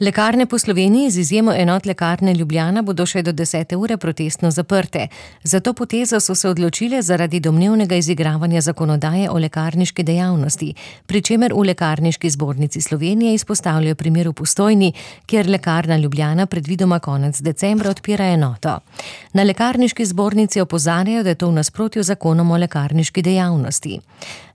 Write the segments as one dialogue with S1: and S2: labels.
S1: Lekarne po Sloveniji z izjemo enot Lekarne Ljubljana bodo še do 10. ure protestno zaprte. Za to potezo so se odločile zaradi domnevnega izigravanja zakonodaje o lekarniški dejavnosti, pri čemer v Lekarniški zbornici Slovenije izpostavljajo primer v Postojni, kjer Lekarna Ljubljana predvidoma konec decembra odpira enoto. Na Lekarniški zbornici opozarjajo, da je to v nasprotju z zakonom o lekarniški dejavnosti.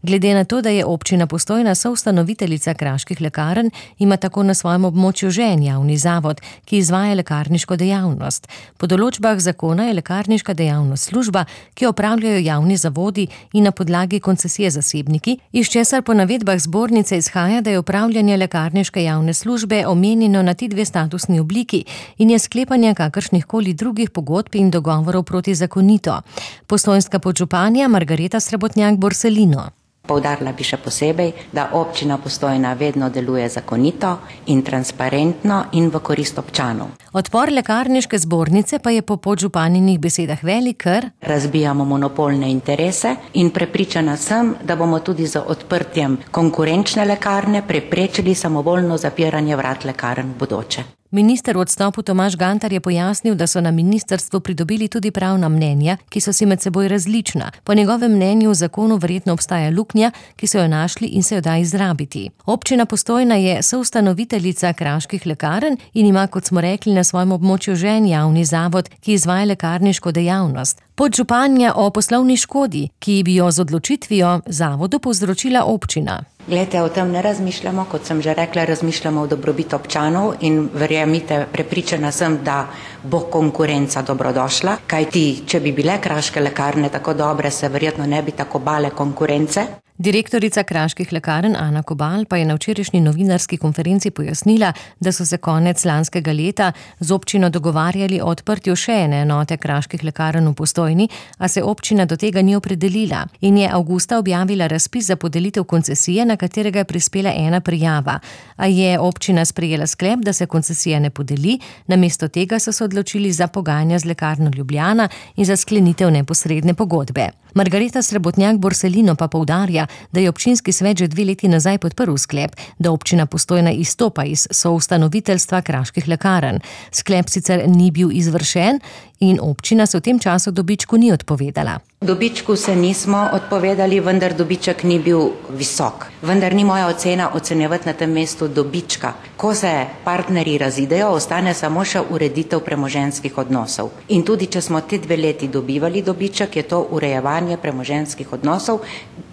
S1: Glede na to, da je občina Postojna soustanoviteljica Kraških lekarn, ima tako na svojem območju že en javni zavod, ki izvaja lekarniško dejavnost. Po določbah zakona je lekarniška dejavnost služba, ki jo opravljajo javni zavodi in na podlagi koncesije zasebniki, iz česar po navedbah zbornice izhaja, da je opravljanje lekarniške javne službe omenjeno na ti dve statusni obliki in je sklepanje kakršnihkoli drugih pogodb in dogovorov protizakonito. Postojnska podžupanja Margareta Srebotnjak-Borselino.
S2: Poudarila bi še posebej, da občina Postojna vedno deluje zakonito in transparentno in v korist občanov.
S1: Odpor Lekarniške zbornice pa je po podžupaninih besedah velik, ker
S2: razbijamo monopolne interese in prepričana sem, da bomo tudi z odprtjem konkurenčne lekarne preprečili samovoljno zapiranje vrat lekarn v bodoče.
S1: Minister v odstopu Tomaž Gantar je pojasnil, da so na ministrstvu pridobili tudi pravna mnenja, ki so si med seboj različna. Po njegovem mnenju v zakonu verjetno obstaja luknja, ki so jo našli in se jo da izrabiti. Občina Postojna je soustanoviteljica Kraških lekarn in ima, kot smo rekli, na svojem območju že en javni zavod, ki izvaja lekarniško dejavnost. Podžupanja o poslovni škodi, ki bi jo z odločitvijo zavodu povzročila občina.
S2: Glejte, o tem ne razmišljamo, kot sem že rekla, razmišljamo v dobrobit občanov in verjemite, prepričana sem, da bo konkurenca dobrodošla, kajti če bi bile kraške lekarne tako dobre, se verjetno ne bi tako bale konkurence.
S1: Direktorica Kraških lekarn Ana Kobal pa je na včerajšnji novinarski konferenci pojasnila, da so se konec lanskega leta z občino dogovarjali o odprtju še ene enote Kraških lekarn v Postojni, a se občina do tega ni opredelila in je avgusta objavila razpis za podelitev koncesije, na katerega je prispela ena prijava. A je občina sprejela sklep, da se koncesija ne podeli, namesto tega so se odločili za pogajanja z Lekarno Ljubljana in za sklenitev neposredne pogodbe. Margareta Srebotnjak-Borselino pa poudarja, da je občinski svet že 2 leti nazaj podprl sklep, da občina Postojna izstopa iz soustanoviteljstva Kraških lekarn. Sklep sicer ni bil izvršen in občina se v tem času dobičku ni odpovedala.
S2: Dobičku se nismo odpovedali, vendar dobiček ni bil visok. Vendar ni moja ocena ocenjevati na tem mestu dobička. Ko se partnerji razidejo, ostane samo še ureditev premoženjskih odnosov. In tudi, če smo te 2 leti dobivali dobiček, je to urejevanje premoženjskih odnosov.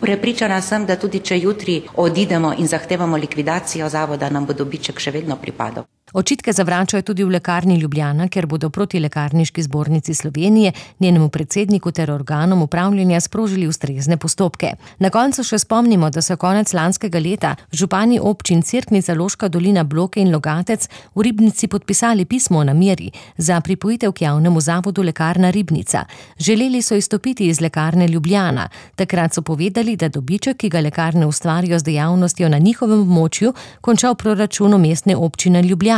S2: Prepričana sem, da tudi če jutri odidemo in zahtevamo likvidacijo zavoda, nam bo dobiček še vedno pripadal.
S1: Očitke zavračajo tudi v Lekarni Ljubljana, ker bodo proti Lekarniški zbornici Slovenije, njenemu predsedniku ter organom upravljanja sprožili ustrezne postopke. Na koncu še spomnimo, da so konec lanskega leta župani občin Cerknica, Loška dolina, Bloke in Logatec v Ribnici podpisali pismo o nameri za pripojitev k javnemu zavodu Lekarna Ribnica. Želeli so izstopiti iz Lekarne Ljubljana. Takrat so povedali, da dobiček, ki ga lekarne ustvarijo z dejavnostjo na njihovem območju, konča v proračunu mestne občine Ljubljana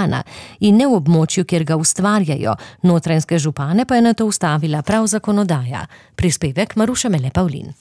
S1: in ne v območju, kjer ga ustvarjajo. Notranjske župane pa je na to ustavila prav zakonodaja. Prispevek Maruša Mele Pavlin.